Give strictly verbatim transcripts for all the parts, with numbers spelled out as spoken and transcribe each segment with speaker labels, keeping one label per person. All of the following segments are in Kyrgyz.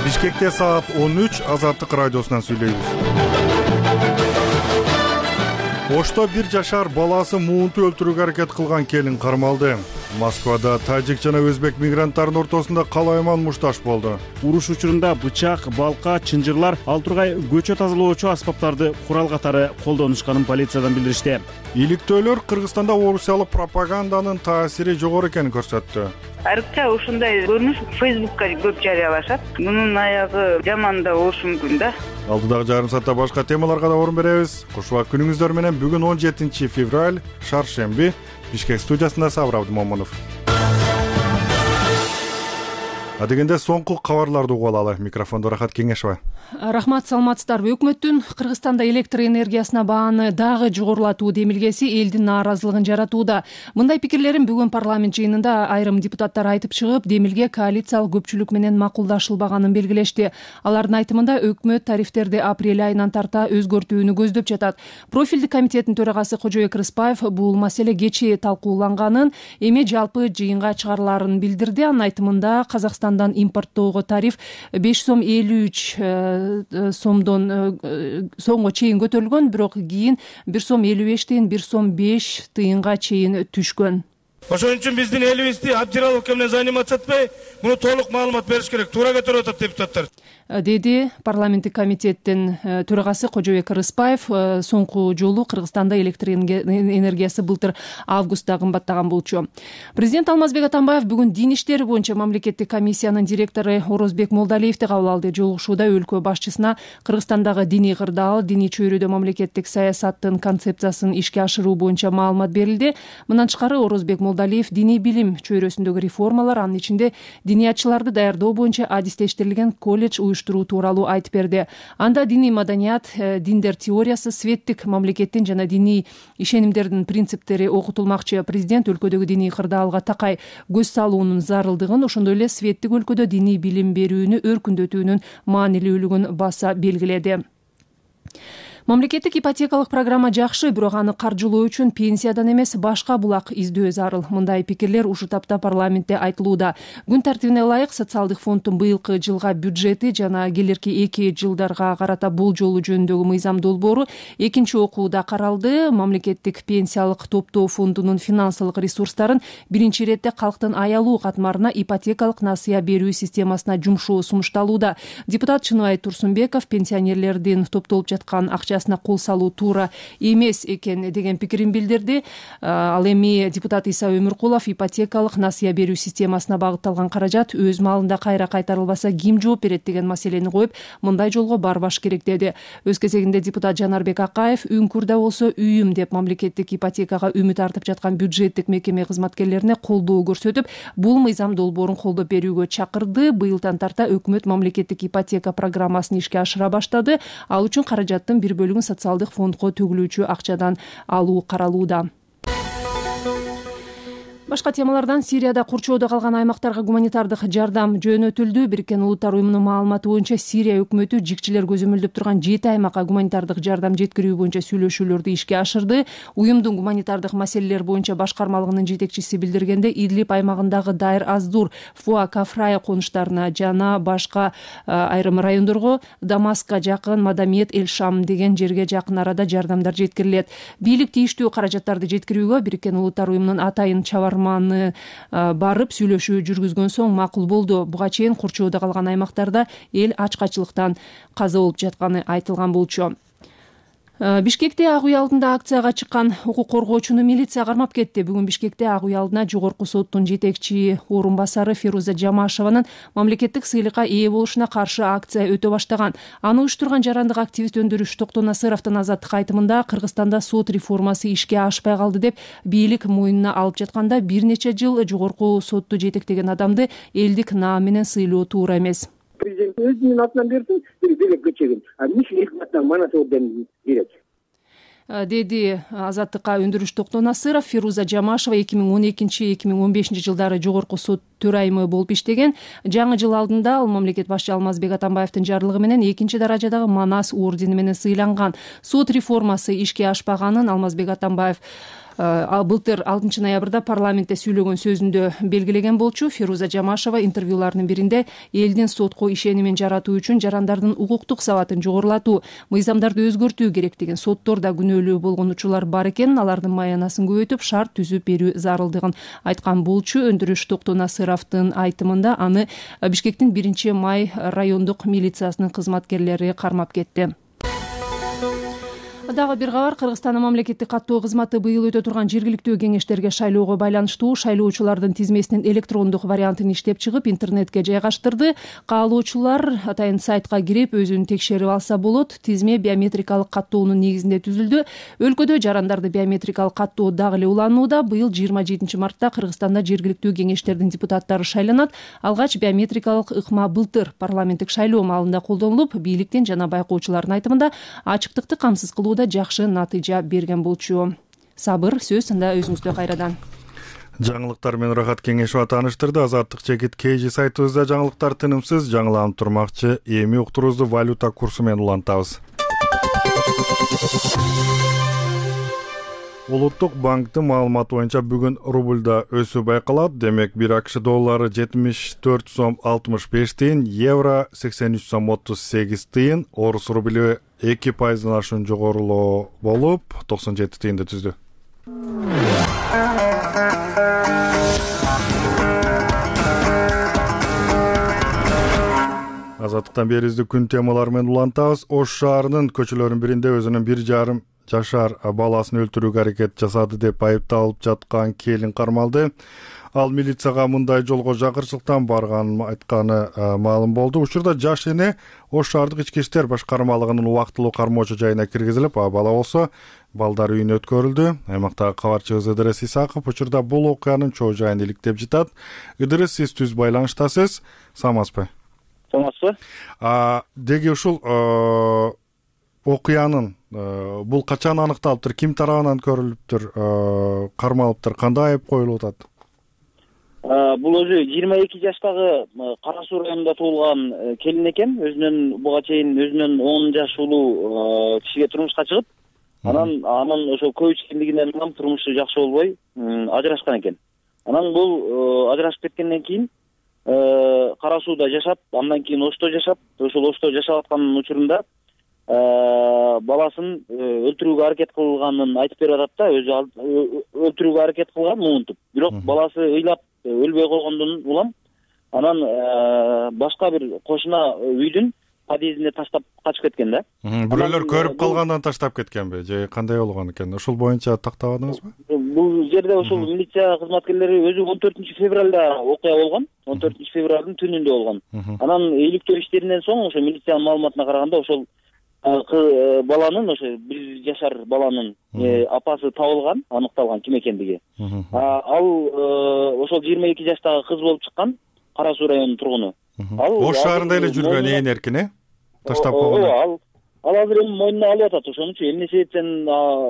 Speaker 1: Бишкекте саат он үч Азаттык радиосунан сүйлөйбүз. Ошто бир жашар баласы муунту өлтүрүүгө аракет кылган келин кармалды. Москвада тажик жана өзбек мигранттарынын ортосунда калайман мушташ болду.
Speaker 2: Уруш учурунда бычак, балка, чынжырлар, ал тургай көчө тазалоочу аспаптарды курал катары колдонушканын полициядан билдиришти.
Speaker 1: Иликтөөлөр Кыргызстанда орусиялык пропаганданын таасири жогору экенин көрсөттү.
Speaker 3: Айрыкча ушундай көрүнүш Фейсбукка көп жарыялашат. Мунун аягы жаман да болушу мүмкүн да.
Speaker 1: Алдыдагы жарым саатта башка темаларга да орун беребиз. Кушубак күнүңүздөр менен бүгүн он жетинчи февраль, шаршемби. Бишкек студиясында Сабыр Абдымомунов. Адегенде соңку кабарларды угуп алалы. Микрофондо Рахат Кеңешова.
Speaker 4: Рахмат, саламатсыздарбы. Өкмөттүн Кыргызстанда электр энергиясына бааны дагы жогорулатуу демилгеси элдин нааразылыгын жаратууда. Мындай пикирлерин бүгүн парламент жыйынында айрым депутаттар айтып чыгып, демилге коалициялык көпчүлүк менен макулдашылбаганын белгилешти. Алардын айтымында өкмөт тарифтерди апрель айынан тарта өзгөртүүнү көздөп жатат. Профилдик комитеттин төрагасы Кожобек Рыспаев бул маселе кечээ талкууланганын, эми жалпы жыйынга чыгарыларын билдирди. Анын айтымында Казакстандан импорттоого тариф беш сом элүү үч сомдон сомго чейин көтөрүлгөн, бирок кийин бир сом элүү бештен бир сом беш тыйынга чейин түшкөн.
Speaker 5: Ошон үчүн биздин элибизди Абдираловке менен заниматься этпей, муну толук маалымат бериш керек. Туура көтөрүп атат депутаттар,
Speaker 4: деди парламенттик комитеттин төрагасы Кожобек Рыспаев. Соңку жолу Кыргызстанда электр энергиясы былтыр августта кымбаттаган болчу. Президент Алмазбек Атамбаев бүгүн дин иштери боюнча мамлекеттик комиссиянын директору Орозбек Молдалиевди кабыл алды. Жолугушууда өлкө башчысына Кыргызстандагы диний кырдаал, диний чөйрөдө мамлекеттик саясаттын концепциясын ишке ашыруу боюнча маалымат берилди. Мындан тышкары Орозбек Молдалиев диний билим чөйрөсүндөгү реформалар, анын ичинде диниятчыларды даярдоо боюнча адистештирилген колледж уюштуруу тууралуу айтып берди. Анда диний маданият, диндер теориясы, светтик мамлекеттин жана диний ишенимдердин принциптери окутулмакчы. Президент өлкөдөгү диний кырдаалга такай көз салуунун зарылдыгын, ошондой эле светтик өлкөдө диний билим берүүнү өркүндөтүүнүн маанилүүлүгүн баса белгиледи. Мамлекеттик ипотекалык программа жакшы, бирок аны каржылоо үчүн пенсиядан эмес башка булак издөө зарыл. Мындай пикирлер ушул тапта парламентте айтылууда. Күн тартибине ылайык социалдык фонддун быйылкы жылга бюджети жана келерки эки жылдарга карата болжолу жөнүндөгү мыйзам долбоору экинчи окууда каралды. Мамлекеттик пенсиялык топтоо фондунун финансылык ресурстарын биринчи иретте калктын аялуу катмарына ипотекалык насыя берүү системасына жумшоо сунушталууда. Депутат Чыныбай Турсунбеков пенсионерлердин топтолуп жаткан акча кол салуу туура эмес экен деген пикирин билдирди. Ал эми депутат Иса Өмүркулов ипотекалык насыя берүү системасына багытталган каражат өз маалында кайра кайтарылбаса ким жооп берет деген маселени коюп, мындай жолго барбаш керек деди. Өз кезегинде депутат Жанарбек Акаев үңкүрдө болсо үйүм деп мамлекеттик ипотекага үмүт артып жаткан бюджеттик мекеме кызматкерлерине колдоо көрсөтүп, бул мыйзам долбоорун колдоп берүүгө чакырды. Быйылдан тарта өкмөт мамлекеттик ипотека программасын ишке ашыра баштады. Ал үчүн каражаттын бир бөлүгүн социалдык фондко төгүлүүчү акчадан алуу каралууда. Башка темалардан Сирияда курчоодо калган аймактарга гуманитардык жардам жөнөтүлдү. Бириккен Улуттар уюмунун маалыматы боюнча Сирия өкмөтү жикчилер көзөмөлдөп турган жети аймакка гуманитардык жардам жеткирүү боюнча сүйлөшүүлөрдү ишке ашырды. Уюмдун гуманитардык маселелер боюнча башкармалыгынын жетекчиси билдиргенде, Идлиб аймагындагы Дайр Аздур, Фуа, Кафрая конуштарына жана башка айрым райондорго, Дамаска жакын Мадамиет, Эль-Шам деген жерге жакын арада жардамдар жеткирилет. Бийлик тийиштүү каражаттарды жеткирүүгө Бириккен Улуттар уюмунун атайын чабар барып сүйлөшүү жүргүзгөн соң макул болду. Буга чейин курчоодо калган аймактарда эл ачкачылыктан каза болуп жатканы айтылган болчу. Бишкекте Ак үй алдында акцияга чыккан укук коргоочуну милиция кармап кетти. Бүгүн Бишкекте Ак үй алдына жогорку соттун жетекчи орун басары Фируза Жамашеванын мамлекеттик сыйлыкка ээ болушуна каршы акция өтө баштаган. Аны уюштурган жарандык активист Өндүрүш Токтонасыровдун Азаттык айтымында, Кыргызстанда сот реформасы ишке ашпай калды деп бийлик мойнуна алып жатканда бир нече жыл жогорку сотту жетектеген адамды элдик наам менен сыйлоо туура эмес.
Speaker 6: Президент өзүнүн атынан берсин, билекке чегин. А эмне элдин атынан манас орден берет?
Speaker 4: деди Азаттыкка Өндүрүш Токтонасыров. Фируза Жамашева эки миң он экинчи — эки миң он бешинчи жылдары жогорку сот төрайымы болуп иштеген. Жаңы жыл алдында ал мамлекет башчы Алмазбек Атамбаевдин жарлыгы менен экинчи даражадагы Манас ордени менен сыйланган. Сот реформасы ишке ашпаганын Алмазбек Атамбаев былтыр алтынчы ноябрда парламентте сүйлөгөн сөзүндө белгилеген болчу. Фируза Жамашева интервьюларынын биринде элдин сотко ишенимин жаратуу үчүн жарандардын укуктук сабатын жогорулатуу, мыйзамдарды өзгөртүү керектигин, соттордо күнөөлүү болгон учурлар бар экенин, алардын маянасын көбөйтүп шарт түзүп берүү зарылдыгын айткан болчу. Өндүрүш Токтонасыровдун айтымында аны Бишкектин биринчи май райондук милициясынын кызматкерлери кармап кетти. Дагы бир кабар. Кыргызстандын мамлекеттик каттоо кызматы быйыл өтө турган жергиликтүү кеңештерге шайлоого байланыштуу шайлоочулардын тизмесинин электрондук вариантын иштеп чыгып, интернетке жайгаштырды. Каалоочулар атайын сайтка кирип өзүн текшерип алса болот. Тизме биометрикалык каттоонун негизинде түзүлдү. Өлкөдө жарандарды биометрикалык каттоо дагы эле уланууда. Быйыл жыйырма жетинчи мартта Кыргызстанда жергиликтүү кеңештердин депутаттары шайланат. Алгач биометрикалык ыкма былтыр парламенттик шайлоо маалында колдонулуп, бийликтин жана байкоочулардын айтымында ачыктыкты камсыз кылуу жакшы натыйжа берген болчу. Сабыр, сөз анда өзүңүздө кайрадан.
Speaker 1: Жаңылыктар менен Рахат Кеңешова тааныштырды. Азаттык Чекит Кейжи сайтыбызда жаңылыктар тынымсыз жаңыланып турмакчы. Эми уктуруубузду валюта курсу менен улантабыз. Улуттук банктын маалыматы боюнча бүгүн рубльда өсүү байкалат. Демек, бир АКШ доллары жетимиш төрт сом алтымыш беш тыйын, евро сексен үч сом отуз сегиз тыйын, орус рублю эки пайыздан ашуун жогорулоо болуп токсон жети тыйынды түздү. Азаттыктан берибизди күн темалары менен улантабыз. Ош шаарынын көчөлөрүнүн биринде өзүнүн бир жарым жашар баласын өлтүрүүгө аракет жасады деп айыпталып жаткан келин кармалды. Ал милицияга мындай жолго жакырчылыктан барганын айтканы маалым болду. Учурда жаш эне Ош шаардык ички иштер башкармалыгынын убактылуу кармоочу жайына киргизилип, а бала болсо балдар үйүнө өткөрүлдү. Аймактагы кабарчыбыз Ыдырыс Исаков учурда бул окуянын чоо жайын иликтеп жатат. Ыдырыс, сиз түз байланыштасыз. Саламатсызбы?
Speaker 7: Саламатсызбы?
Speaker 1: Деги ушул окуянын бул качан аныкталыптыр, ким тарабынан көрүлүптүр, кармалыптыр, кандай айып коюлуп атат?
Speaker 7: Бул өзү жыйырма эки жаштагы Кара Суу районунда туулган келин экен. Өзүнөн буга чейин өзүнөн он жаш улуу кишиге турмушка чыгып, анан анын ошо көп ичкендигинен улам турмушу жакшы болбой ажырашкан экен. Анан бул ажырашып кеткенден кийин Кара Сууда жашап, андан кийин Ошто жашап, ошол Ошто жашап аткан учурунда баласын өлтүрүүгө аракет кылганын айтып берип атат да, өзү өлтүрүүгө аракет кылган муунтуп. Бирок баласы ыйлап өлбөй койгондон улам анан башка бир кошуна үйдүн подъездине таштап качып кеткен да.
Speaker 1: Бирөөлөр көрүп калгандан таштап кеткенби же кандай болгон экен? Ушул боюнча тактабадыңызбы?
Speaker 7: Бул жерде ошол милиция кызматкерлери өзү он төртүнчү февралда окуя болгон. он төртүнчү февралдын түнүндө болгон. Анан иликтөө иштеринен соң ошо милициянын маалыматына караганда ошол баланын, ошо бир жашар баланын апасы табылган, аныкталган ким экендиги. Ал ошол жыйырма эки жаштагы кыз болуп чыккан, Кара Суу районунун тургуну.
Speaker 1: Ош шаарында эле жүргөн ээн эркин, э? Таштап койгон.
Speaker 7: Ал ал азыр эми мойнуна алып атат. Ошонучу эмне себептен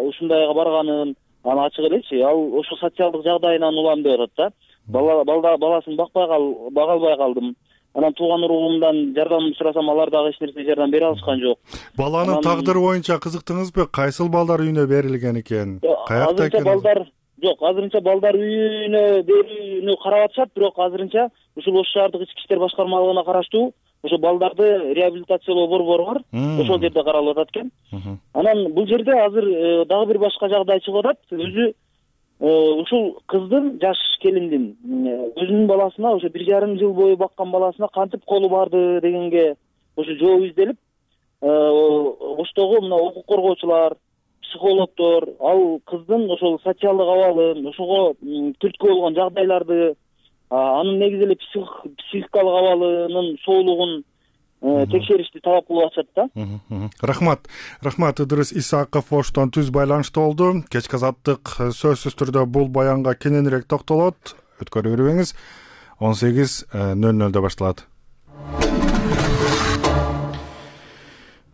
Speaker 7: ушундайга барганын аны ачык элечи. Ал ошо социалдык жагдайынан улам деп атат да. Бала баласын бакпай кал, бага албай калдым. Анан тууган уругумдан жардам сурасам, алар дагы эч нерсе жардам бере алышкан жок.
Speaker 1: Баланын тагдыры боюнча кызыктыңызбы? Кайсыл балдар үйүнө берилген экен? Каякта экен?
Speaker 7: Балдар жок, азырынча балдар үйүнө берүүнү карап атышат, бирок азырынча ушул Ош шаардык ички иштер башкармалыгына караштуу ошо балдарды реабилитациялоо борбору бар. Ошол жерде каралып атат экен. Анан бул жерде азыр дагы бир башка жагдай чыгып атат. Өзү ушул кыздын, жаш келиндин өзүнүн баласына, ошо бир жарым жыл бою баккан баласына кантип колу барды дегенге ошо жооп изделип, Оштогу мына укук коргоочулар, психологдор ал кыздын ошол социалдык абалын, ошого түрткү болгон жагдайларды, анын негизи эле психикалык абалынын соолугун текшеришти талап кылып атышат да.
Speaker 1: Рахмат. Рахмат, Ыдырыс Исаков Оштон түз байланышта болду. Кечки азаттык сөзсүз түрдө бул баянга кененирээк токтолот. Өткөрө бербеңиз. он сегиз нөл нөлдө башталат.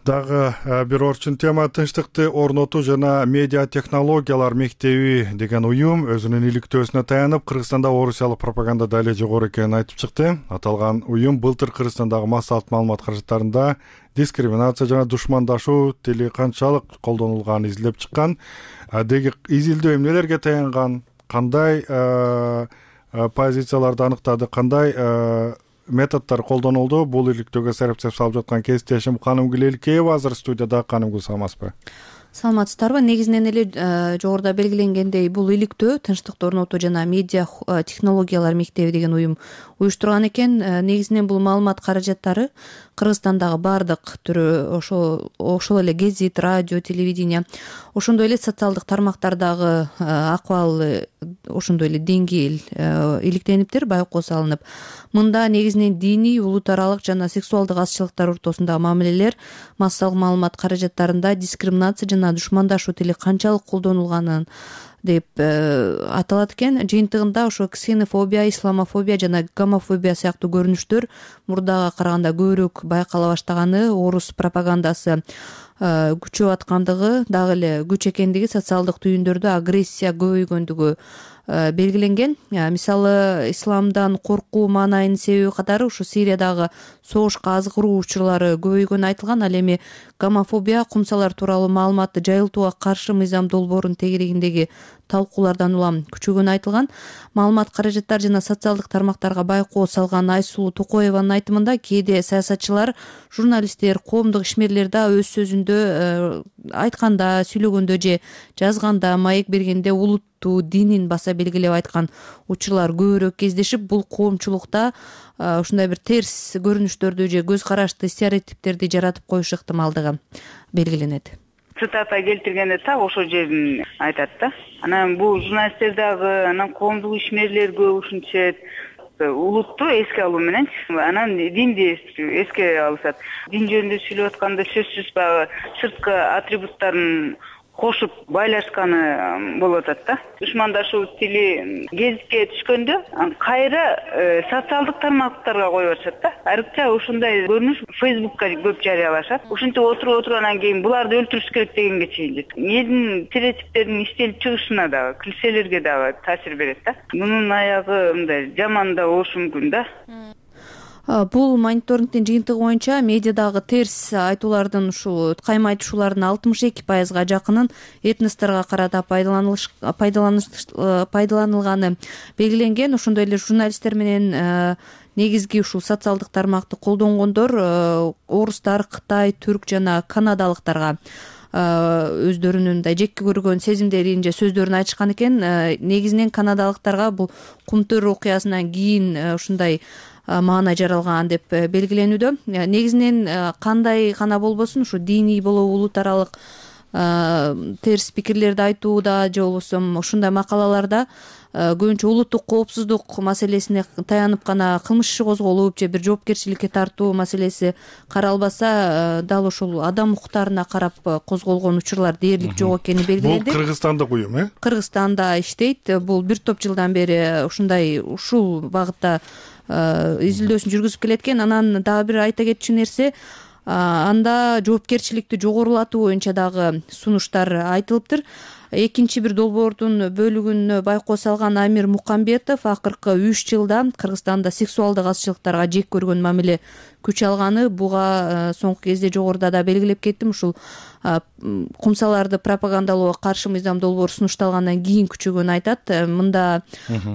Speaker 1: Дагы бир орчун тема тынчтыкты орнотуу жана медиа технологиялар мектеби деген уюм өзүнүн иликтөөсүнө таянып Кыргызстанда орусиялык пропаганда дале жогору экенин айтып чыкты. Аталган уюм былтыр Кыргызстандагы массалык маалымат каражаттарында дискриминация жана душмандашуу тили канчалык колдонулганын изилдеп чыккан. Деги изилдөө эмнелерге таянган, кандай позицияларды аныктады, кандай методдор колдонулду? Бул иликтөөгө серепсеп салып жаткан кесиптешим Канымгүл Элкеева азыр студияда. Канымгүл, саламатсызбы?
Speaker 8: Саламатсыздарбы? Негизинен эле жогоруда белгиленгендей, бул иликтөө Тынчтыкты орнотуу жана медиа технологиялар мектеби деген уюм уюштурган экен. Негизинен бул маалымат каражаттары Кыргызстандагы баардык түрү, ошо ошол эле гезит, радио, телевидение, ошондой эле социалдык тармактардагы акыбал, ошондой эле деңгээл иликтениптир, байкоо салынып. Мында негизинен диний, улут аралык жана сексуалдык азчылыктар ортосундагы мамилелер, массалык маалымат каражаттарында дискриминация жана душмандашуу тили канчалык колдонулганын деп аталат экен. Жыйынтыгында ошо ксенофобия, исламофобия жана гомофобия сыяктуу көрүнүштөр мурдага караганда көбүрөөк байкала баштаганы, орус пропагандасы күчөп аткандыгы, дагы эле күч экендиги, социалдык түйүндөрдө агрессия көбөйгөндүгү белгиленген. Мисалы, исламдан коркуу маанайынын себеби катары ушу Сириядагы согушка азгыруу учурлары көбөйгөнү айтылган. Ал эми гомофобия, кумсалар тууралуу маалыматты жайылтууга каршы мыйзам долбоорунун тегерегиндеги талкуулардан улам күчөгөнү айтылган. Маалымат каражаттар жана социалдык тармактарга байкоо салган Айсулуу Токоеванын айтымында, кээде саясатчылар, журналисттер, коомдук ишмерлер да өз сөзүндө айтканда, сүйлөгөндө же жазганда, маек бергенде улутту, динин баса белгилеп айткан учурлар көбүрөөк кездешип, бул коомчулукта ушундай бир терс көрүнүштөрдү же көз карашты стереотиптерди жаратып коюшу ыктымалдыгы белгиленет.
Speaker 3: Цитата келтиргенде так ошол жерин айтат да. Анан бул журналисттер дагы, анан коомдук ишмерлер көп ушинтишет. Улутту эске алуу менен анан динди эске алышат. Дин жөнүндө сүйлөп атканда сөзсүз баягы сырткы атрибуттарын кошуп байлашканы болуп атат да. Душмандашуу тили гезитке түшкөндө кайра социалдык тармактарга коюп атышат да. Айрыкча ушундай көрүнүш Фейсбукка көп жарыялашат. Ушинтип отуруп отургандан кийин буларды өлтүрүш керек дегенге чейин жетет. Элдин стереотиптердин иштелип чыгышына дагы, килселерге дагы таасир берет да. Мунун аягы мындай жаман да болушу мүмкүн да.
Speaker 8: Бул мониторингдин жыйынтыгы боюнча медиадагы терс айтуулардын, ушу кайма айтышуулардын алтымыш эки пайызга жакынын этносторго карата пайдаланылганы белгиленген. Ошондой эле журналисттер менен негизги ушул социалдык тармакты колдонгондор орустар, Кытай, түрк жана канадалыктарга өздөрүнүн да жекке көргөн сезимдерин же сөздөрүн айтышкан экен. Негизинен канадалыктарга бул Кумтөр окуясынан кийин ушундай маана жаралган деп белгиленүүдө. Негизинен кандай гана болбосун, ушу диний болобу, улут аралык терс пикирлерди айтууда же болбосо ушундай макалаларда көбүнчө улуттук коопсуздук маселесине таянып гана кылмыш иши козголуп же бир жоопкерчиликке тартуу маселеси каралбаса, дал ошол адам укуктарына карап козголгон учурлар дээрлик жок экени белгиленди.
Speaker 1: Бул Кыргызстандык уюм, э?
Speaker 8: Кыргызстанда иштейт. Бул бир топ жылдан бери ушундай ушул багытта изилдөөсүн жүргүзүп келет экен. Анан дагы бир айта кетчү нерсе, анда жоопкерчиликти жогорулатуу боюнча дагы сунуштар айтылыптыр. Экинчи бир долбоордун бөлүгүнө байкоо салган Амир Мукамбетов акыркы үч жылда Кыргызстанда сексуалдык азчылыктарга жек көргөн мамиле күч алганы, буга соңку кезде жогоруда да белгилеп кеттим. Ушул кумсаларды пропагандалоого каршы мыйзам долбоору сунушталгандан кийин күчөгөнү айтат. Мында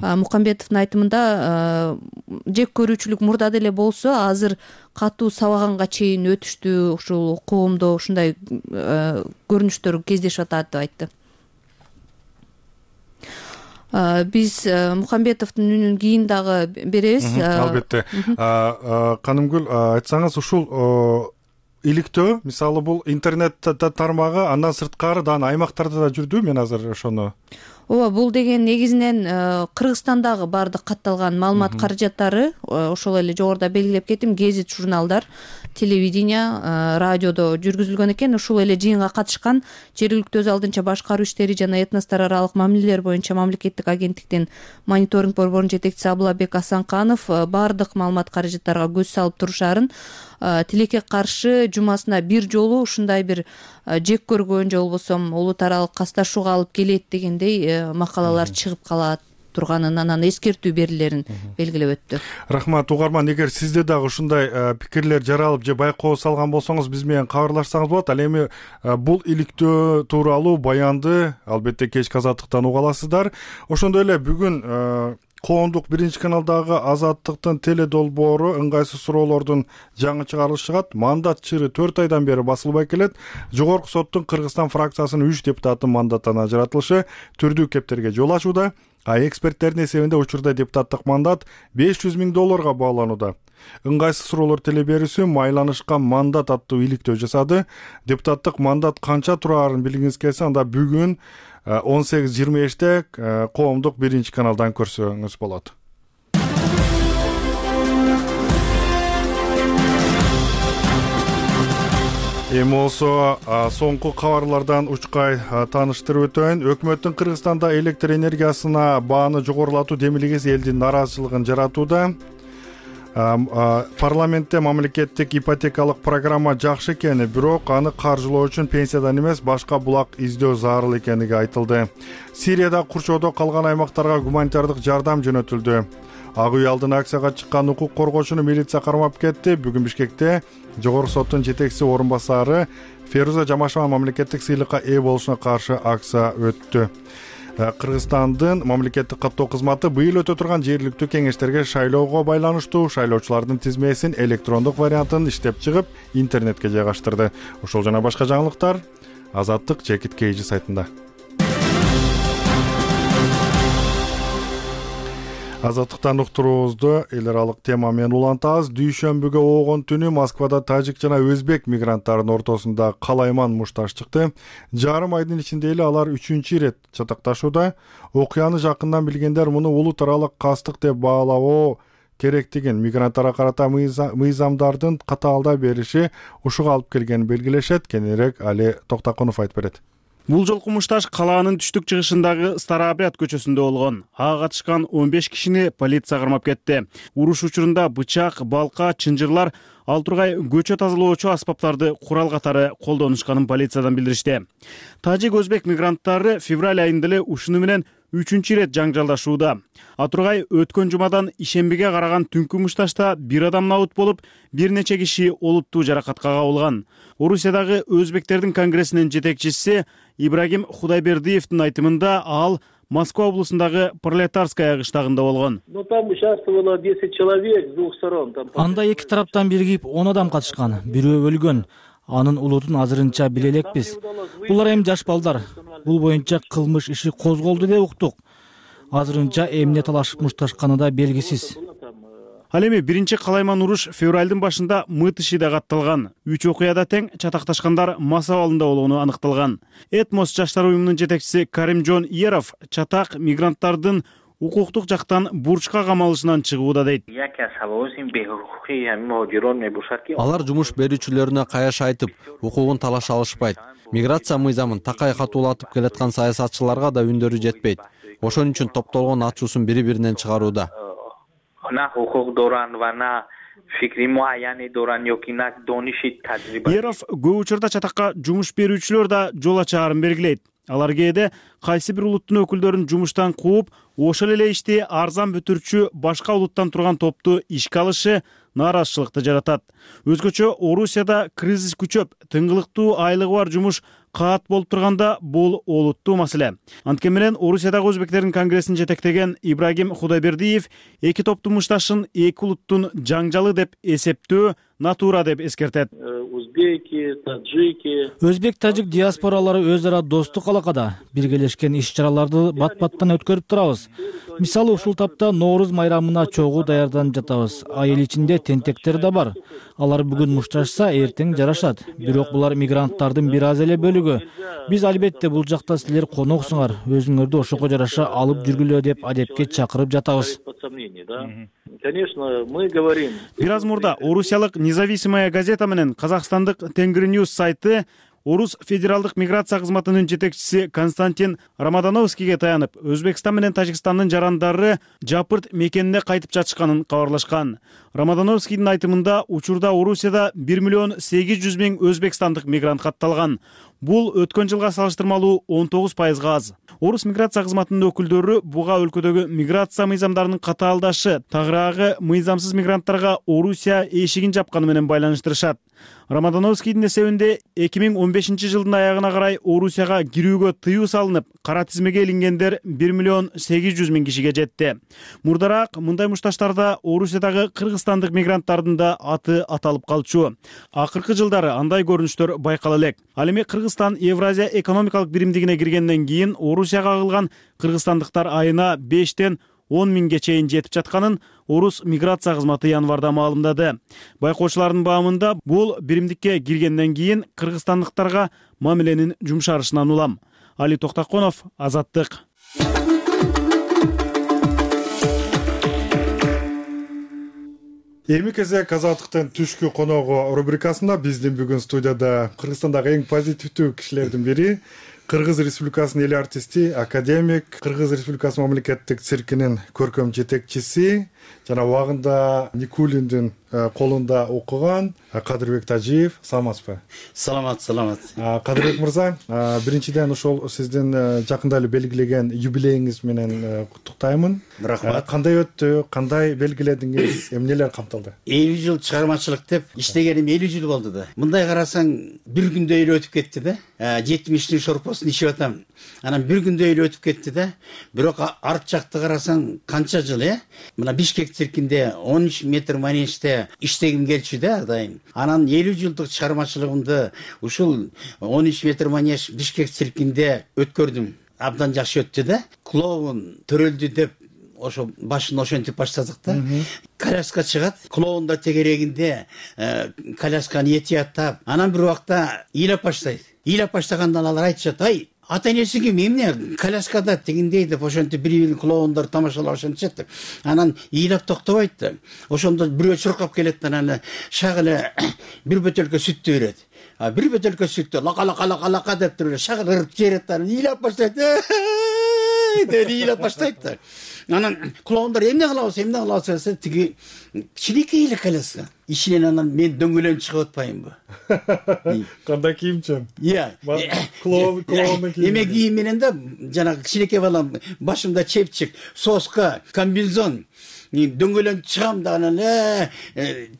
Speaker 8: Мукамбетовдун айтымында, жек көрүүчүлүк мурда деле болсо, азыр катуу сабаганга чейин өтүштү, ушул коомдо ушундай көрүнүштөр кездешип атат деп айтты. Биз Мукамбетовдун үнүн кийин дагы беребиз.
Speaker 1: Албетте. Канымгүл, айтсаңыз, ушул иликтөө, мисалы, бул интернет тармагы, андан сырткары да аймактарда да жүрдү. Мен азыр ошону
Speaker 8: ооба, бул деген негизинен Кыргызстандагы баардык катталган маалымат каражаттары, ошол эле жогоруда белгилеп кеттим, гезит, журналдар, телевидение, радиодо жүргүзүлгөн экен. Ушул эле жыйынга катышкан жергиликтүү өз алдынча башкаруу иштери жана этностор аралык мамилелер боюнча мамлекеттик агенттиктин мониторинг борборунун жетекчиси Абылабек Асанканов баардык маалымат каражаттарга көз салып турушаарын, тилекке каршы жумасына бир жолу ушундай бир жек көргөн же болбосо улут аралык касташууга алып келет дегендей макалалар чыгып калат турганын, анан эскертүү берилерин белгилеп өттү.
Speaker 1: Рахмат угарман, эгер сизде дагы ушундай пикирлер жаралып же байкоо салган болсоңуз биз менен кабарлашсаңыз болот. Ал эми бул иликтөө тууралуу баянды албетте кечки Азаттыктан уга аласыздар. Ошондой эле бүгүн коомдук биринчи каналдагы Азаттыктын теле долбоору ыңгайсыз суроолордун жаңы чыгарылышы чыгат. Мандат чыры төрт айдан бери басылбай келет. Жогорку соттун Кыргызстан фракциясынын үч депутаттын мандаттан ажыратылышы түрдүү кептерге жол ачууда. А эксперттердин эсебинде учурда депутаттык мандат беш жүз миң долларга бааланууда. Ыңгайсыз суроолор теле берүүсү майланышкан мандат аттуу иликтөө жасады. Депутаттык мандат канча турарын билгиңиз келсе, анда бүгүн он сегиз жыйырма беште коомдук биринчи каналдан көрсөңүз болот. Эми болсо соңку кабарлардан учкай тааныштырып өтөйүн. Өкмөттүн Кыргызстанда электр энергиясына бааны жогорулатуу демилгеси элдин нааразычылыгын жаратууда. Парламентте мамлекеттик ипотекалык программа жакшы экени, бирок аны каржылоо үчүн пенсиядан эмес башка булак издөө зарыл экенлиги айтылды. Сирияда курчоодо калган аймактарга гуманитардык жардам жөнөтүлдү. Ак үй алдына акцияга чыккан укук коргоочуну милиция кармап кетти. Бүгүн Бишкекте жогорку соттун жетекчиси орун басары Феруза Жамашева мамлекеттик сыйлыкка ээ болушуна каршы акция өттү. Кыргызстандын мамлекеттик каттоо кызматы быйыл өтө турган жергиликтүү кеңештерге шайлоого байланыштуу шайлоочулардын тизмесин электрондук вариантын иштеп чыгып, интернетке жайгаштырды. Ошол жана башка жаңылыктар Азаттык Чекит Кейжи сайтында. Азаттыктан уктуруубузду эл аралык тема менен улантабыз. Дүйшөмбүгө оогон түнү Москвада тажик жана өзбек мигранттарынын ортосунда калайман мушташ чыкты. Жарым айдын ичинде эле алар үчүнчү ирет чатакташууда. Окуяны жакындан билгендер муну улут аралык кастык деп баалоо керектигин, мигранттарга карата мыйзамдардын катаалдай бериши ушуга алып келгенин белгилешет. Кененирээк Али Токтакунов айтып берет.
Speaker 2: Бул жолку мушташ калаанын түштүк чыгышындагы Старообряд көчөсүндө болгон. Ага катышкан он беш кишини полиция кармап кетти. Уруш учурунда бычак, балка, чынжырлар, ал тургай көчө тазалоочу аспаптарды курал катары колдонушканын полициядан билдиришти. Тажик өзбек мигранттары февраль айында эле ушуну менен үчүнчү ирет жаңжалдашууда. Атургай өткөн жумадан ишембиге караган түнкү мушташта бир адам набыт болуп, бир нече киши олуттуу жаракатка кабылган. Орусиядагы өзбектердин конгрессинин жетекчиси Ибрагим Худайбердиевдин айтымында ал Москва облусундагы Пролетарская кыштагында болгон.
Speaker 9: Анда эки тараптан биригип он адам катышкан, бирөө өлгөн. Анын улутун азырынча биле элекпиз. Булар эми жаш балдар. Бул боюнча кылмыш иши козголду деп уктук. Азырынча эмне талашып мушташканы да белгисиз.
Speaker 2: Ал эми биринчи калайман уруш февралдын башында Мытышида катталган. Үч окуяда тең чатакташкандар мас абалында болгону аныкталган. Этмос жаштар уюмунун жетекчиси Каримжон Еров чатак мигранттардын укуктук жактан бурчка камалышынан чыгууда дейт.
Speaker 10: Алар жумуш берүүчүлөрүнө каяш айтып, укугун талаша алышпайт. Миграция мыйзамын такай катуулатып келаткан саясатчыларга да үндөрү жетпейт. Ошон үчүн топтолгон ачуусун бири-биринен чыгарууда.
Speaker 2: Еров көп учурда чатакка жумуш берүүчүлөр да жол ачаарын белгилейт. Алар кээде кайсы бир улуттун өкүлдөрүн жумуштан кууп, ошол эле ишти арзан бүтүрчү башка улуттан турган топту ишке алышы нааразычылыкты жаратат. Өзгөчө Орусияда кризис күчөп, тыңгылыктуу айлыгы бар жумуш каат болуп турганда бул олуттуу маселе. Анткени менен Орусиядагы өзбектердин конгрессин жетектеген Ибрагим Худайбердиев эки топтун мушташын эки улуттун жаңжалы деп эсептөө натура деп эскертет.
Speaker 7: узбеки, таджики.
Speaker 9: Өзбек, тажик диаспоралары өз ара достук алакада биргелешкен иш чараларды бат баттан өткөрүп турабыз. Мисалы, ушул тапта Нооруз майрамына чогуу даярданып жатабыз. Айыл ичинде тентектер да бар. Алар бүгүн мушташса, эртең жарашат. Бирок булар мигранттардын бир аз эле бөлүгү. Биз албетте бул жакта силер коноксуңар, өзүңөрдү ошого жараша алып жүргүлө деп адепке чакырып жатабыз.
Speaker 7: Конечно, мы говорим.
Speaker 2: Бир аз мурда орусиялык Независимая газета менен Казакстандык Тенгриньюз сайты Орус федералдык миграция кызматынын жетекчиси Константин Рамадановскийге таянып, Өзбекстан менен Тажикстандын жарандары Жапырт мекенине кайтып жатышканын кабарлашкан. Рамадановскийдин айтымында, учурда Орусияда бир миллион сегиз жүз миң өзбекстандык мигрант катталган. Бул өткөн жылга салыштырмалуу он тогуз пайызга аз. Орус миграция кызматынын өкүлдөрү буга өлкөдөгү миграция мыйзамдарынын катаалдашы, тагыраагы мыйзамсыз мигранттарга Орусия эшигин жапканы менен байланыштырышат. Рамадановскийдин эсебинде эки миң он бешинчи жылдын аягына карай Орусияга кирүүгө тыюу салынып, кара тизмеге илингендер бир миллион сегиз жүз миң кишиге жетти. Мурдараак мындай мушташтарда Орусиядагы кыргызстандык мигранттардын да аты аталып калчу. Акыркы жылдары андай көрүнүштөр байкала элек. Ал эми Кыргызстан Евразия экономикалык биримдигине киргенден кийин Орусияга агылган кыргызстандыктар айына бештен он миңге чейин жетип жатканын Орус миграция кызматы январда маалымдады. Байкоочулардын баамында бул биримдикке киргенден кийин кыргызстандыктарга мамиленин жумшарышынан улам. Али Токтаконов, Азаттык.
Speaker 1: Эми кезек Азаттыктын түшкү коногу рубрикасында биздин бүгүн студияда Кыргызстандагы эң позитивдүү кишилердин бири, Кыргыз Республикасынын эл артисти, академик, Кыргыз Республикасы мамлекеттик циркинин көркөм жетекчиси жана убагында Никулиндин колунда окуган Кадырбек Тажиев. Саламатсызбы?
Speaker 11: Саламат, саламат.
Speaker 1: Кадырбек мырза, биринчиден ошол сиздин жакында эле белгилеген юбилейиңиз менен куттуктаймын.
Speaker 11: Рахмат.
Speaker 1: Кандай өттү, кандай белгиледиңиз, эмнелер камтылды?
Speaker 11: элүү жыл чыгармачылык деп иштегеним элүү жыл болду да. Мындай карасаң, бир күндө эле өтүп кетти да. жетимиштин шорпосун ичип атам. Анан бир күндө эле өтүп кетти да. Бирок арт жакты карасаң, канча жыл, э? Мына Бишкек циркинде он үч метр манежде иштегим келчү да ар дайым. Анан элүү жылдык чыгармачылыгымды ушул он үч метр манеж Бишкек циркинде өткөрдүм. Абдан жакшы өттү да. Клоун төрөлдү деп ошо башын ошентип баштадык да. Коляска чыгат, клоундар тегерегинде колясканы этияттап, анан бир убакта ыйлап баштайт. Ыйлап баштагандан алар айтышат: "Ай, ата-энеси ким? Эмне коляскада тигиндей" деп ошентип бири-бирин клоундар тамашалап ошентишет да. Анан ыйлап токтобойт да. Ошондо бирөө чуркап келет да, анан шак эле бир бөтөлкө сүттү берет. А бир бөтөлкө сүттү лака-лака-лака деп туруп шак ырып жиберет да, ыйлап баштайт. Деп ыйлап баштайт да. Анан клоундар эмне кылабыз, эмне кылабыз десе, тиги кичинекей эле коляска. Ичинен анан мен дөңгөлөнүп чыгып атпайынбы?
Speaker 1: Кандай кийимчен?
Speaker 11: Иә.
Speaker 1: Клоун, клоундун кийими.
Speaker 11: Эме кийим менен да, жанагы кичинекей балам, башымда чепчик, соска, комбинезон, дөңгөлөнүп чыгам да, анан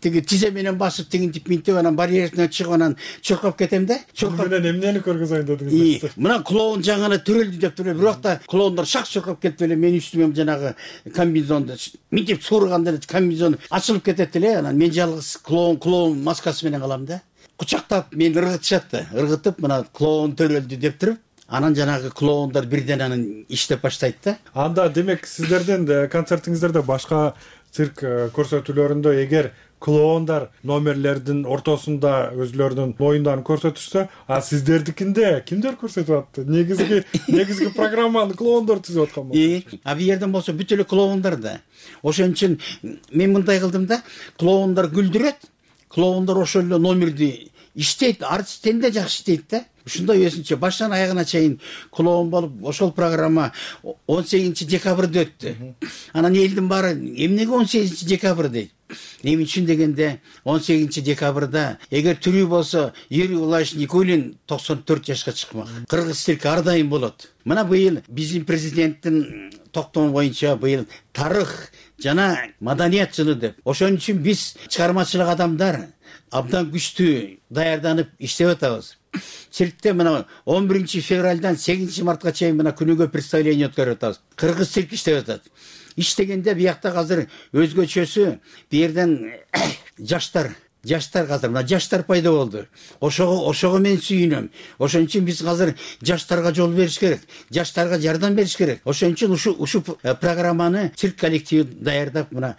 Speaker 11: тиги тизе менен басып тигинтип минтип, анан барьерден чыгып, анан чуркап кетем да.
Speaker 1: Чуркап менен эмнени көргөзөйүн дедиңиз?
Speaker 11: Мына клоун жаңы төрөлдү деп туруп, бирок да клоундар шак чуркап кетип эле менин үстүмө жанагы комбинезонду минтип сурганда комбинезон ачылып кетет эле, анан мен жалгыз клоун клоун маскасы менен калам да. Кучактап мени ыргытышат да, ыргытып мына клоун төрөлдү деп туруп, анан жанагы клоундар бирден анан иштеп баштайт да.
Speaker 1: Анда демек сиздердин концертиңиздерде башка цирк көрсөтүүлөрүндө эгер клоундар номерлердин ортосунда өзлөрүнүн оюндарын көрсөтүшсө, а сиздердикинде кимдер көрсөтүп атты? Негизги негизги программаны клоундар түзүп аткан болчу.
Speaker 11: А бу жерден болсо бүт эле клоундар да. Ошон үчүн мен мындай кылдым да, клоундар күлдүрөт, клоундар ошол эле номерди иштейт, артисттен да жакшы иштейт да. Ушундай өзүнчө баштан аягына чейин клоун болуп, ошол программа он сегизинчи декабрда өттү. Анан элдин баары эмнеге он сегизинчи декабрь дейт? Эмне үчүн дегенде он сегизинчи декабрда эгер тирүү болсо Юрий Владимирович Никулин токсон төрт жашка чыкмак. Кыргыз цирки ар дайым болот. Мына быйыл биздин президенттин токтому боюнча быйыл тарых жана маданият жылы деп. Ошон үчүн биз чыгармачылык адамдар абдан күчтүү даярданып иштеп атабыз. Циркте мына он биринчи февралдан сегизинчи мартка чейин мына күнүгө представление өткөрүп атабыз. Кыргыз цирк иштеп атат. Иштегенде биякта азыр өзгөчөсү бу жерден жаштар жаштар азыр мына жаштар пайда болду. Ошого ошого мен сүйүнөм. Ошон үчүн биз азыр жаштарга жол бериш керек, жаштарга жардам бериш керек. Ошон үчүн ушу ушу программаны цирк коллективи даярдап мына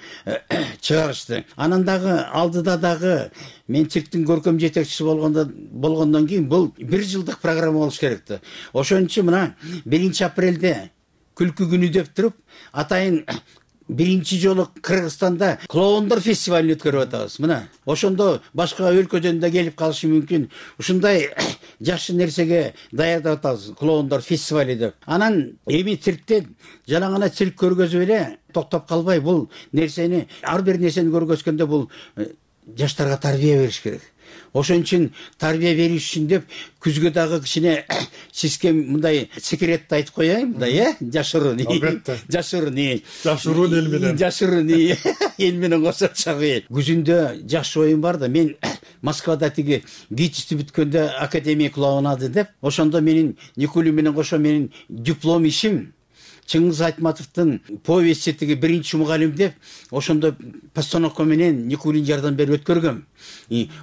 Speaker 11: чыгарышты. Анан дагы алдыда дагы мен цирктин көркөм жетекчиси болгондо болгондон кийин бул бир жылдык программа болуш керек да. Ошон үчүн мына биринчи апрелде күлкү күнү деп туруп атайын биринчи жолу Кыргызстанда клоундор фестивалин өткөрүп атабыз. Мына ошондо башка өлкөдөн да келип калышы мүмкүн. Ушундай жакшы нерсеге даярдап атабыз, клоундор фестивали деп. Анан эми циркте жана гана цирк көргөзүп эле токтоп калбай бул нерсени, ар бир нерсени көргөзгөндө бул жаштарга тарбия бериш керек. Ошон үчүн тарбия бериш үчүн деп күзгө дагы кичине сизге мындай секретти айтып коеюн да, э? Жашыруун.
Speaker 1: Албетте.
Speaker 11: Жашыруун.
Speaker 1: Жашыруун эл менен.
Speaker 11: Жашыруун эл менен кошо чагы. Күзүндө жакшы оюм бар да. Мен Москвада тиги гитисти бүткөндө академия клоунады деп, ошондо менин Никулин менен кошо менин диплом ишим Чыңгыз Айтматовдун повести тиги биринчи мугалим деп, ошондо постановка менен Никулин жардам берип өткөргөм.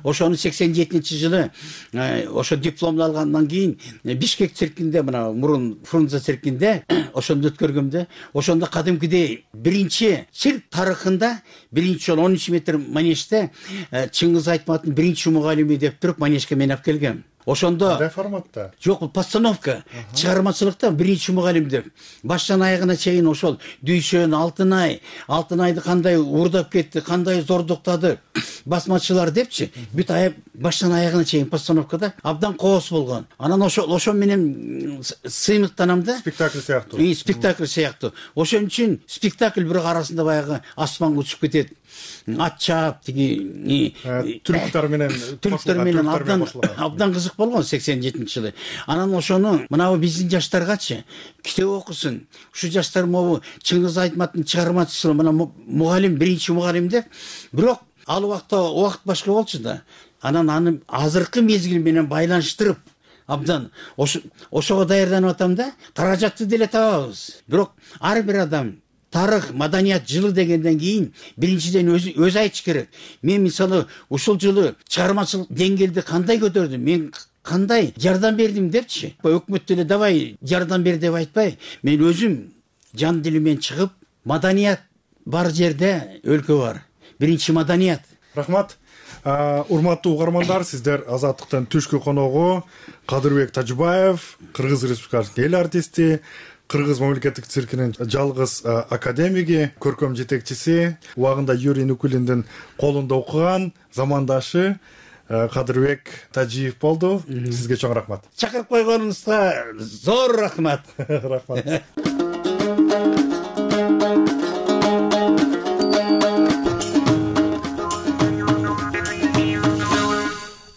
Speaker 11: Ошону сексен жетинчи жылы ошо дипломду алгандан кийин Бишкек циркинде, мына мурун Фрунзе циркинде ошондо өткөргөм да. Ошондо кадимкидей биринчи цирк тарыхында биринчи жолу он үч метр манежде Чыңгыз Айтматовдун биринчи мугалими деп туруп манежге мен алып келгем. Ошондо
Speaker 1: кандай форматта?
Speaker 11: Жок, бул постановка, чыгармачылыкта биринчи мугалим деп. Баштан аягына чейин ошол Дүйшөн, Алтынай, Алтынайды кандай уурдап кетти, кандай зордуктады, басмачылар депчи, бүт аяк баштан аягына чейин постановкада абдан коос болгон. Анан ошол ошо менен сыймыктанам да.
Speaker 1: Спектакль сыяктуу.
Speaker 11: И спектакль сыяктуу. Ошон үчүн спектакль бирок арасында баягы асманга учуп кетет. Ат чаап тиги
Speaker 1: түрктөр менен
Speaker 11: түрктөр менен абдан абдан кызык болгон сексен жетинчи жылы. Анан ошону мына биздин жаштаргачы китеп окусун. Ушу жаштар могу Чыңгыз Айтматовдун чыгармачысы мына мугалим, биринчи мугалим деп. Бирок ал убакта убакыт башка болчу да. Анан аны азыркы мезгил менен байланыштырып абдан ошого даярданып атам да. Каражатты деле табабыз. Бирок ар бир адам тарых, маданият жылы дегенден кийин биринчиден өз өз айтыш керек. Мен мисалы ушул жылы чыгармачылык деңгээлди кандай көтөрдүм, мен кандай жардам бердим депчи. Өкмөт деле давай жардам бер деп айтпай, мен өзүм жан дилимен чыгып, маданият бар жерде өлкө бар. Биринчи маданият.
Speaker 1: Рахмат. Урматтуу угармандар, сиздер Азаттыктын түшкү коногу Кадырбек Тажыбаев, Кыргыз Республикасынын эл артисти, Кыргыз мамлекеттик циркинин жалгыз академиги, көркөм жетекчиси, убагында Юрий Никулиндин колунда окуган замандашы Кадырбек Тажиев болду. Сизге чоң рахмат.
Speaker 11: Чакырып койгонуңузга зор рахмат.
Speaker 1: Рахмат.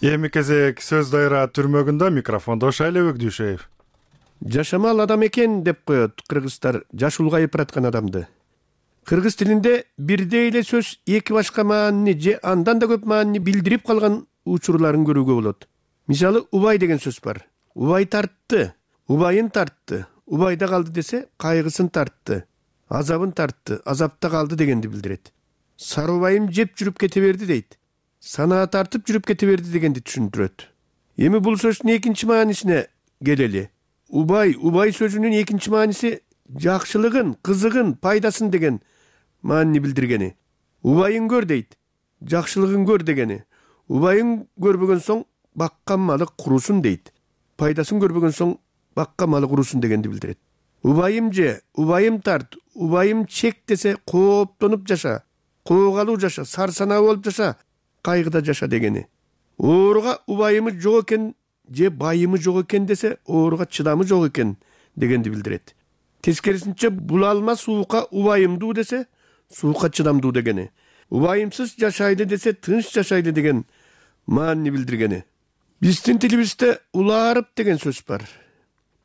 Speaker 1: Эми кезек сөз дайра түрмөгүндө, микрофондо Шайлебек Дүйшеев.
Speaker 12: Жашамал адам экен деп коет кыргыздар жаш улгайып бараткан адамды. Кыргыз тилинде бирдей эле сөз эки башка маанини же андан да көп маанини билдирип калган учурларын көрүүгө болот. Мисалы, убай деген сөз бар. Убай тартты, убайын тартты, убайда калды десе кайгысын тартты, азабын тартты, азапта калды дегенди билдирет. Сары убайым жеп жүрүп кете берди дейт. Санаа тартып жүрүп кете берди дегенди түшүндүрөт. Эми бул сөздүн экинчи маанисине келели. Убай, убай сөзүнүн экинчи мааниси жакшылыгын, кызыгын, пайдасын деген маанини билдиргени. Убайын көр дейт, жакшылыгын көр дегени. Убайын көрбөгөн соң баккан малы курусун дейт. Пайдасын көрбөгөн соң баккан малы курусун дегенди билдирет. Убайым же, убайым тарт, убайым чек десе кооптонуп жаша, коогалуу жаша, сарсанаа болуп жаша, кайгыда жаша дегени. Ооруга убайымы жок экен же байымы жок экен десе ооруга чыдамы жок экен дегенди билдирет. Тескерисинче булалма суука убайымдуу десе суукка чыдамдуу дегени. Убайымсыз жашайды десе тынч жашайды деген маанини билдиргени. Биздин тилибизде улаарып деген сөз бар.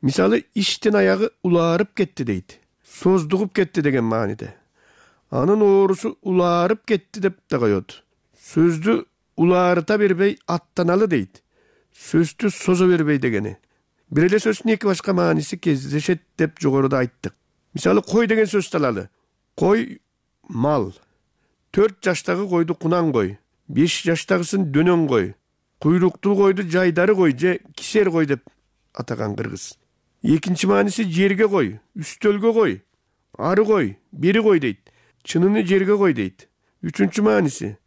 Speaker 12: Мисалы, иштин аягы улаарып кетти дейт. Создугуп кетти деген мааниде. Анын оорусу улаарып кетти деп да коет. Сөздү улаарыта бербей аттаналы дейт. Сөздү созо бербей дегени. Бир эле сөздүн эки башка мааниси кездешет деп жогоруда айттык. Мисалы, кой деген сөздү алалы. Кой мал. Төрт жаштагы койду кунан кой. беш жаштагысын дөнөн кой, куйруктуу койду жайдары кой же кисер кой деп атаган кыргыз. Экинчи мааниси жерге кой, үстөлгө кой, ары кой, бери кой дейт. Чыныны жерге кой дейт. Үчүнчү мааниси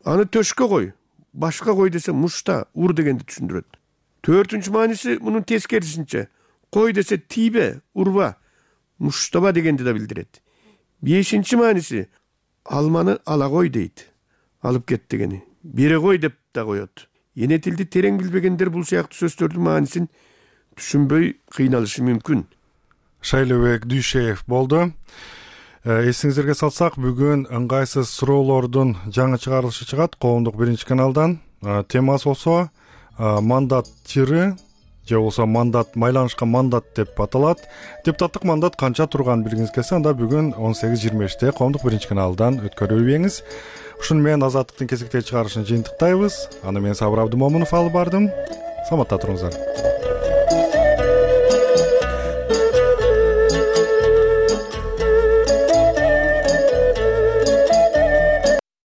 Speaker 12: аны төшкө кой, башка кой десе мушта, ур дегенди түшүндүрөт. Төртүнчү мааниси мунун тескерисинче кой десе тийбе, урба, муштаба дегенди да билдирет. Бешинчи мааниси алманы ала кой дейт. Алып кет дегени. Бере кой деп да коет. Эне тилди терең билбегендер бул сыяктуу сөздөрдүн маанисин түшүнбөй кыйналышы мүмкүн.
Speaker 1: Шайлыбек Дүйшеев болду. Эсиңиздерге салсак, бүгүн ыңгайсыз суроолордун жаңы чыгарылышы чыгат коомдук биринчи каналдан. Темасы болсо мандат тиры же болсо мандат, майланышкан мандат деп аталат. Депутаттык мандат канча турган билгиңиз келсе, анда бүгүн он сегиз жыйырма беште коомдук биринчи каналдан өткөрүлбеңиз. Ушуну менен Азаттыктын кезектеги чыгарылышын жыйынтыктайбыз. Аны мен Сабыр Абдымомунов алып бардым. Саламатта туруңуздар.